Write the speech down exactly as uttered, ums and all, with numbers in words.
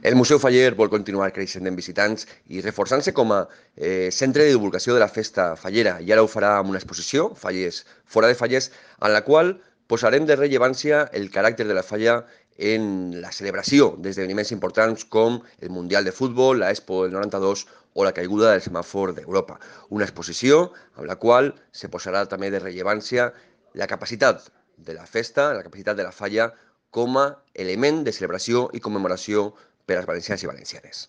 El Museu Faller vol continuar creixent en visitants i reforçant-se com a eh, centre de divulgació de la festa fallera. I ara ho farà amb una exposició, Fallers fora de Fallers, en la qual posarem de rellevància el caràcter de la falla en la celebració d'esdeveniments importants com el Mundial de Futbol, la Expo del noranta-dos o la caiguda del semàfor d'Europa. Una exposició amb la qual se posarà també de rellevància la capacitat de la festa, la capacitat de la falla com a element de celebració i commemoració per als valencians i valencianes.